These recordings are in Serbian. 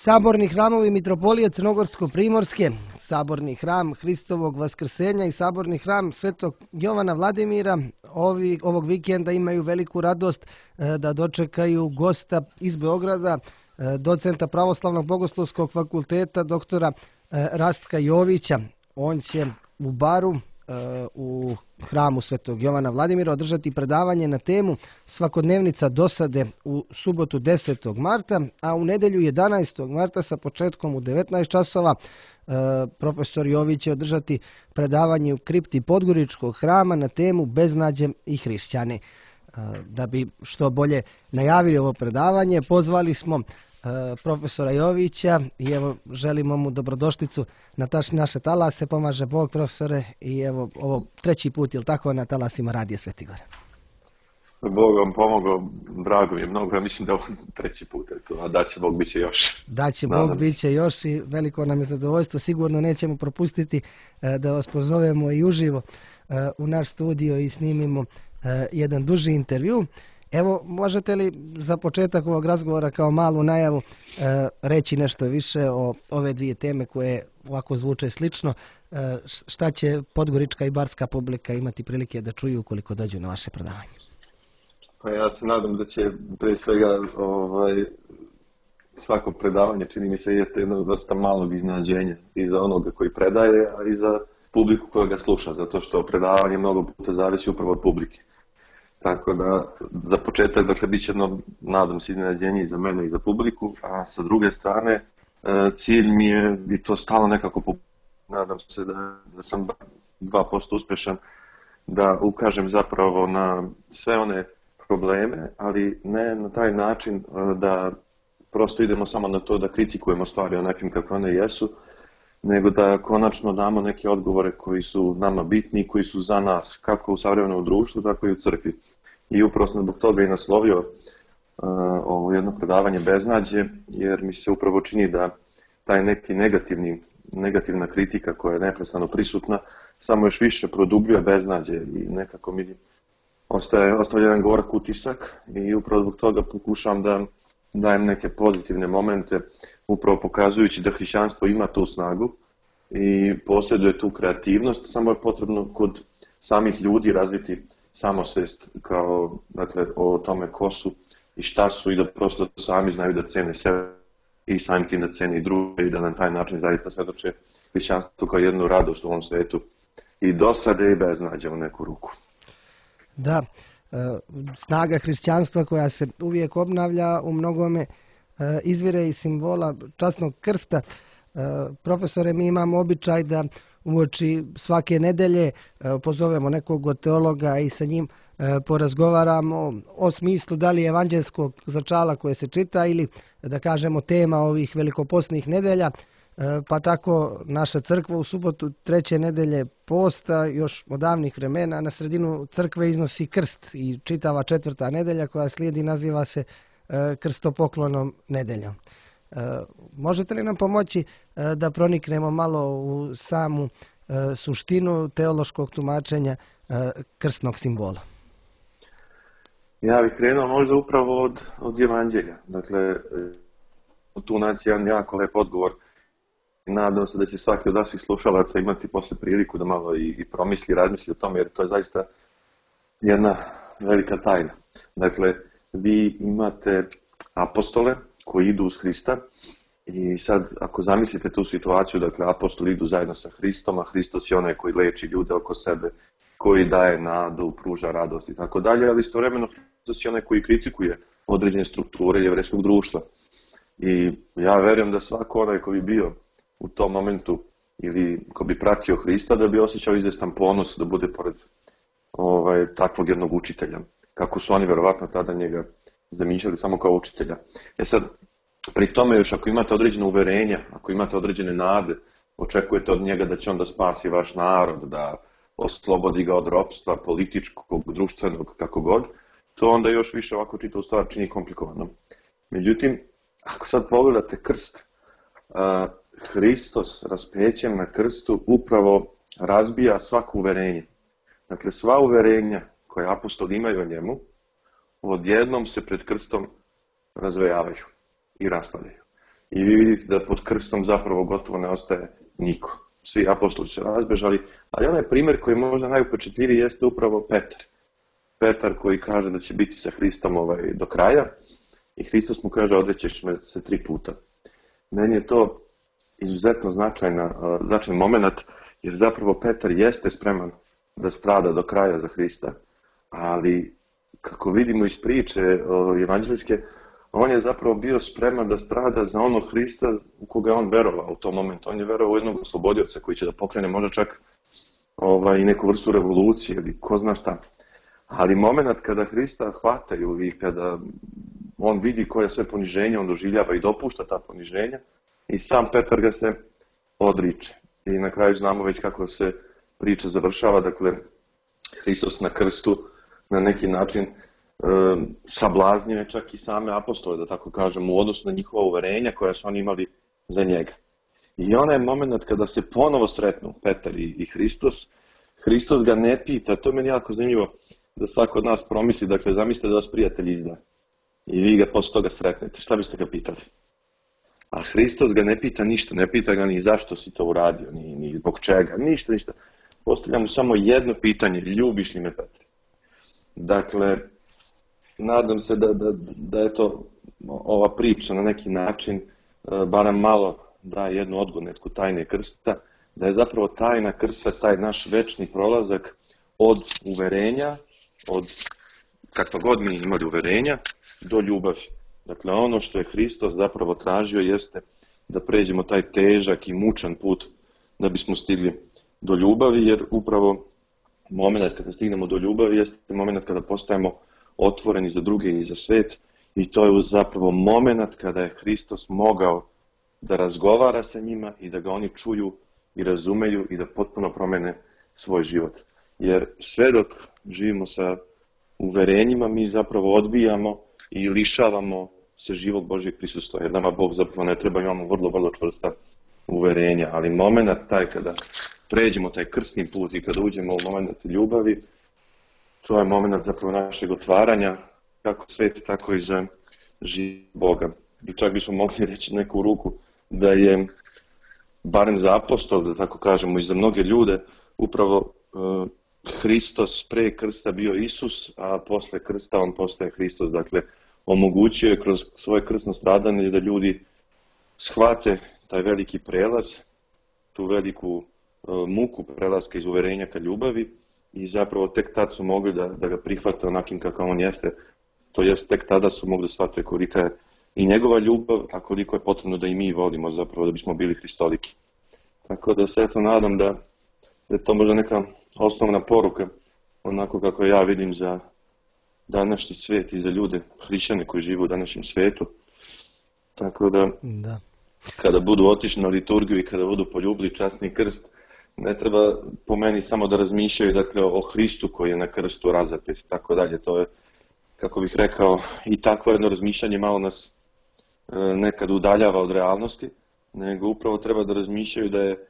Saborni hramovi mitropolije Crnogorsko-primorske, saborni hram Hristovog vaskrsenja i saborni hram Svetog Jovana Vladimira ovog vikenda imaju veliku radost da dočekaju gosta iz Beograda, docenta Pravoslavnog bogoslovskog fakulteta, doktora Rastka Jovića. On će u baru u hramu Svetog Jovana Vladimira održati predavanje na temu Svakodnevnica dosade u subotu 10. marta, a u nedelju 11. marta sa početkom u 19 časova profesor Jović će održati predavanje u kripti Podgoričkog hrama na temu Beznađe i hrišćani. Da bi što bolje najavili ovo predavanje, pozvali smo profesora Jovića i evo želimo mu dobrodošlicu na naše talase. Pomaže Bog, profesore, i evo ovo treći put, jel tako, na talasima Radija Svetigora? Bog vam pomogao, drago mi je mnogo, ja mislim da je ovo treći put, a da će Bog, bit će još. Da će Bog, bit će još i veliko nam je zadovoljstvo, sigurno nećemo propustiti da vas pozovemo i uživo u naš studio i snimimo jedan duži intervju. Evo, možete li za početak ovog razgovora kao malu najavu reći nešto više o ove dvije teme koje ovako zvuče slično? Šta će podgorička i barska publika imati prilike da čuju ukoliko dođu na vaše predavanje? Pa ja se nadam da će pre svega svako predavanje, čini mi se, jeste jedna vrsta malog iznenađenja i za onoga koji predaje, a i za publiku koja ga sluša, zato što predavanje mnogo puta zavisi upravo od publike. Tako da, za početak, dakle, bit će jedno, nadam se, iznenađenje i za mene i za publiku, a sa druge strane, cilj mi je, i to stalno nekako, nadam se da sam 2% uspješan, da ukažem zapravo na sve one probleme, ali ne na taj način da prosto idemo samo na to da kritikujemo stvari onakim kako one jesu, nego da konačno damo neke odgovore koji su nama bitni i koji su za nas, kako u savremenom društvu, tako i u crkvi. I upravo sam zbog toga i naslovio ovo jedno predavanje Beznađe, jer mi se upravo čini da taj neki negativna kritika koja je neprestano prisutna samo još više produbljuje beznađe i nekako mi ostavlja jedan gorak utisak i upravo zbog toga pokušavam da dajem neke pozitivne momente, upravo pokazujući da hrišćanstvo ima tu snagu i posjeduje tu kreativnost, samo je potrebno kod samih ljudi razviti samosvest kao, dakle, o tome ko su i šta su i da prosto sami znaju da cene sebe i samim tim da cene i druge i da na taj način zaista svedoče hrišćanstvo kao jednu radost u ovom svetu i dosade i beznađe u neku ruku. Da, snaga hrišćanstva koja se uvijek obnavlja u mnogome izvire iz simbola časnog krsta. Profesore, mi imamo običaj da uoči svake nedelje pozovemo nekog od teologa i sa njim porazgovaramo o smislu da li je evanđelskog začala koje se čita ili, da kažemo, tema ovih velikopostnih nedelja. Pa tako naša crkva u subotu treće nedelje posta još od davnih vremena na sredinu crkve iznosi krst i čitava četvrta nedelja koja slijedi naziva se krstopoklonom nedeljom. Možete li nam pomoći da proniknemo malo u samu suštinu teološkog tumačenja krstnog simbola? Ja bih krenuo možda upravo od evanđelja. Dakle, tu naći jedan jako lep odgovor. Nadam se da će svaki od vaših slušalaca imati posle priliku da malo i promisli, razmisli o tome, jer to je zaista jedna velika tajna. Dakle, vi imate apostole koji idu uz Hrista i sad ako zamislite tu situaciju, dakle, apostoli idu zajedno sa Hristom, a Hristos je onaj koji leči ljude oko sebe, koji daje nadu, pruža radost i tako dalje, ali istovremeno Hristos je onaj koji kritikuje određene strukture jevrejskog društva. I ja verujem da svako onaj koji bi bio u tom momentu ili ko bi pratio Hrista, da bi osjećao izvestan ponos da bude pored takvog jednog učitelja. Kako su oni verovatno tada njega zamišljali samo kao učitelja. Sad, pri tome još ako imate određene uverenja, ako imate određene nade, očekujete od njega da će on da spasi vaš narod, da oslobodi ga od ropstva, političkog, društvenog, kako god, to onda još više ovako čitavu stvar čini komplikovano. Međutim, ako sad pogledate krst, Hristos raspećem na krstu upravo razbija svako uverenje. Dakle, sva uverenja koje apostoli imaju o njemu, odjednom se pred krstom razvejavaju i raspadaju. i vi vidite da pod krstom zapravo gotovo ne ostaje niko. Svi apostoli se razbežali, ali onaj primjer koji je možda najupečetljiviji jeste upravo Petar. Petar koji kaže da će biti sa Hristom do kraja i Hristos mu kaže odrećeš me se 3 puta. Meni je to izuzetno značajan moment, jer zapravo Petar jeste spreman da strada do kraja za Hrista, ali kako vidimo iz priče evanđeljske, on je zapravo bio spreman da strada za onog Hrista u koga je on verovao u tom momentu. On je verovao u jednog oslobodioca koji će da pokrene možda čak i neku vrstu revolucije ili ko zna šta. Ali moment kada Hrista hvataju i kada on vidi koje sve poniženje on doživljava i dopušta ta poniženja, i sam Petar ga se odriče. I na kraju znamo već kako se priča završava, dakle Hristos na krstu na neki način sablaznio čak i same apostole, da tako kažem, u odnosu na njihova uverenja koja su oni imali za njega. I onaj moment kada se ponovo sretnu Petar i Hristos, Hristos ga ne pita, to je meni jako zanimljivo da svako od nas promisli, dakle zamislite da vas prijatelj izda i vi ga posle toga sretnete, šta biste ga pitali? A Hristos ga ne pita ništa, ne pita ga ni zašto si to uradio, ni zbog čega, ništa. Postavlja mu samo jedno pitanje, ljubiš li me, Petre? Dakle, nadam se da je to ova priča na neki način barem malo daje jednu odgonetku tajne krsta, da je zapravo tajna krsta taj naš večni prolazak od uverenja, od kakva god mi imali uverenja, do ljubavi. Dakle, ono što je Hristos zapravo tražio jeste da pređemo taj težak i mučan put da bismo stigli do ljubavi, jer upravo moment kada stignemo do ljubavi jeste moment kada postajemo otvoreni za druge i za svet, i to je zapravo moment kada je Hristos mogao da razgovara sa njima i da ga oni čuju i razumeju i da potpuno promene svoj život. Jer sve dok živimo sa uverenjima, mi zapravo odbijamo i lišavamo se živog Božjeg prisustva, jer nama Bog zapravo ne treba, imamo vrlo čvrsta uverenja, ali moment taj kada pređemo taj krsni put i kada uđemo u moment ljubavi, to je moment zapravo našeg otvaranja, kako svet, tako i za život Boga. I čak bismo mogli reći neku ruku da je, barem za apostol, da tako kažemo, i za mnoge ljude, upravo Hristos pre krsta bio Isus, a posle krsta on postaje Hristos. Dakle, omogućio je kroz svoje krsno stradanje da ljudi shvate taj veliki prelaz, tu veliku muku prelaska iz uverenja ka ljubavi, i zapravo tek tad su mogli da ga prihvate onakim kakav on jeste. To jest, tek tada su mogli da shvate kolika je i njegova ljubav, a koliko je potrebno da i mi volimo zapravo da bismo bili hristoliki. Tako da se eto nadam da je to možda neka osnovna poruka, onako kako ja vidim za današnji svijet i za ljude, hrišćane koji žive u današnjem svijetu. Tako da, kada budu otišli na liturgiju i kada budu poljubili časni krst, ne treba po meni samo da razmišljaju, dakle, o Hristu koji je na krstu razapet, tako dalje. To je, kako bih rekao, i takvo jedno razmišljanje malo nas nekad udaljava od realnosti, nego upravo treba da razmišljaju da je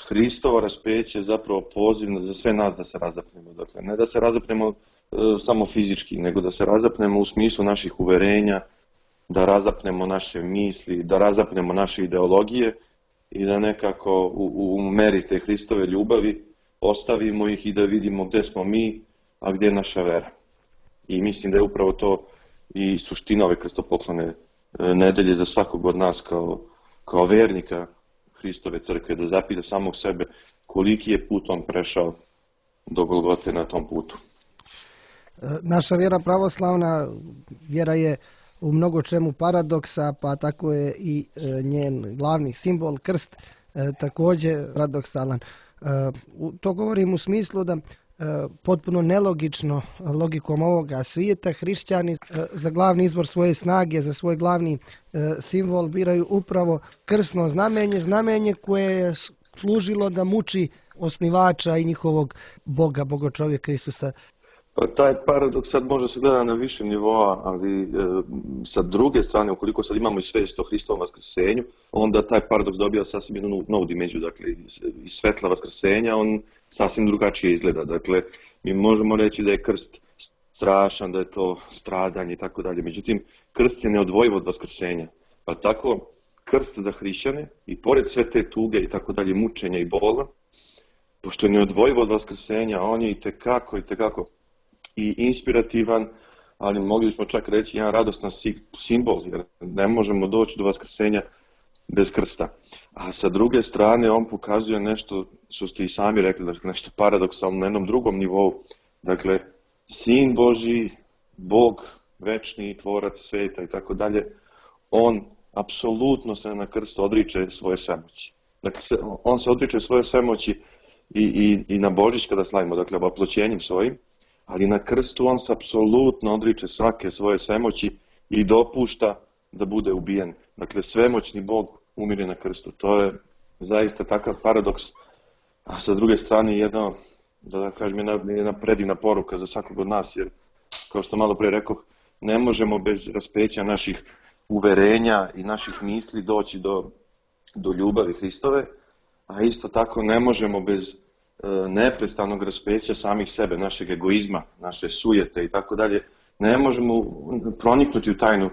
Hristovo raspeće zapravo poziv za sve nas da se razapnemo. Dakle, ne da se razapnemo samo fizički, nego da se razapnemo u smislu naših uverenja, da razapnemo naše misli, da razapnemo naše ideologije i da nekako u meri te Hristove ljubavi ostavimo ih i da vidimo gde smo mi, a gde je naša vera. I mislim da je upravo to i suština ove krstopoklone nedelje za svakog od nas kao vernika Hristove crkve, da zapita samog sebe koliki je put on prešao do Golgote na tom putu. Naša vjera pravoslavna vjera je u mnogo čemu paradoksa, pa tako je i njen glavni simbol, krst, također paradoksalan. To govorim u smislu da potpuno nelogično logikom ovoga svijeta hrišćani za glavni izvor svoje snage, za svoj glavni simbol biraju upravo krsno znamenje koje je služilo da muči osnivača i njihovog Boga, Bogočovjeka Isusa. Pa taj paradoks sad može se gleda na višem nivoa, ali sa druge strane, ukoliko sad imamo i svijest o Hristovom vaskrsenju, onda taj paradoks dobija sasvim jednu novu dimenziju. Dakle, iz svetla vaskrsenja on sasvim drugačije izgleda. Dakle, mi možemo reći da je krst strašan, da je to stradanje i tako dalje. Međutim, krst je neodvojiv od vaskrsenja. Pa tako, krst za hrišćane i pored sve te tuge i tako dalje, mučenja i bola, pošto je neodvojivo od vaskrsenja, on je i tekako i inspirativan, ali mogli smo čak reći jedan radostan simbol, jer ne možemo doći do vaskrsenja bez krsta. A sa druge strane, on pokazuje nešto, što ste i sami rekli, dakle, nešto paradoksalno na jednom drugom nivou. Dakle, Sin Božji, Bog, večni, tvorac sveta i tako dalje, on apsolutno se na krstu odriče svoje svemoći. Dakle, on se odriče svoje svemoći i na Božić kada slavimo, dakle, oploćenjem svojim, ali na krstu on se apsolutno odriče svake svoje svemoći i dopušta da bude ubijen. Dakle, svemoćni Bog umire na krstu. To je zaista takav paradoks, a sa druge strane jedna predivna poruka za svakog od nas, jer, kao što malo pre rekoh, ne možemo bez raspeća naših uverenja i naših misli doći do ljubavi Hristove, a isto tako ne možemo bez neprestanog raspeća samih sebe, našeg egoizma, naše sujete i tako dalje. Ne možemo proniknuti u tajnu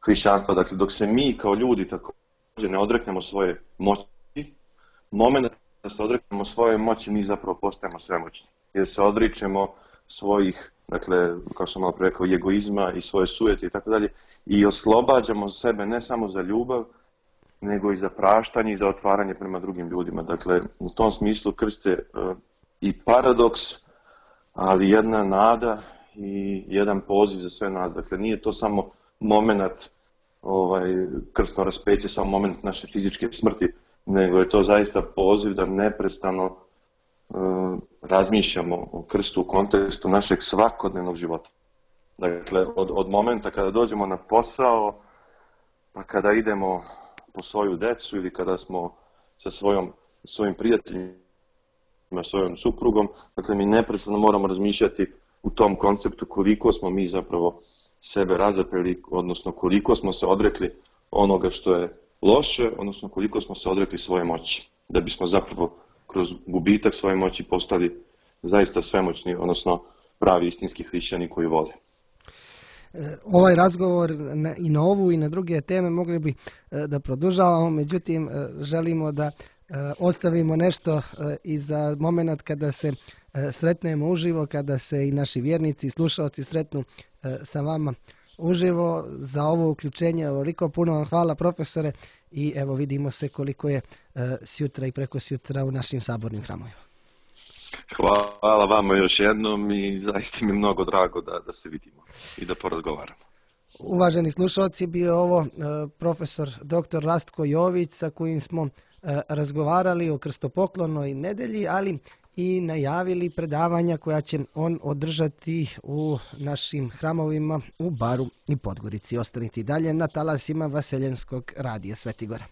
hrišćanstva. Dakle, dok se mi kao ljudi također ne odreknemo svoje moći, moment da se odreknemo svoje moći, mi zapravo postajemo svemoćni. Jer se odričemo svojih, dakle, kao što malo pre rekao, egoizma i svoje sujete i tako dalje, i oslobađamo sebe ne samo za ljubav, nego i za praštanje i za otvaranje prema drugim ljudima. Dakle, u tom smislu krst je i paradoks, ali jedna nada i jedan poziv za sve nas. Dakle, nije to samo moment krstno raspeće, samo moment naše fizičke smrti, nego je to zaista poziv da neprestano razmišljamo o krstu u kontekstu našeg svakodnevnog života. Dakle, od momenta kada dođemo na posao, pa kada idemo po svoju decu ili kada smo sa svojim prijateljima, svojom suprugom, dakle mi neprestano moramo razmišljati u tom konceptu koliko smo mi zapravo sebe razapeli, odnosno koliko smo se odrekli onoga što je loše, odnosno koliko smo se odrekli svoje moći, da bismo zapravo kroz gubitak svoje moći postali zaista svemoćni, odnosno pravi istinski hrišćani koji vole. Ovaj razgovor i na ovu i na druge teme mogli bi da produžavamo, međutim želimo da ostavimo nešto i za moment kada se sretnemo uživo, kada se i naši vjernici i slušalci sretnu sa vama uživo. Za ovo uključenje ovoliko puno vam hvala, profesore, i evo vidimo se koliko je sjutra i preko sjutra u našim sabornim hramovima. Hvala vama još jednom i zaista mi je mnogo drago da se vidimo i da porazgovaramo. Uvaženi slušalci, bio ovo profesor dr. Rastko Jović, sa kojim smo razgovarali o krstopoklonnoj nedelji, ali i najavili predavanja koja će on održati u našim hramovima u Baru i Podgorici. Ostanite dalje na talasima Vaseljenskog radija Sveti Gora.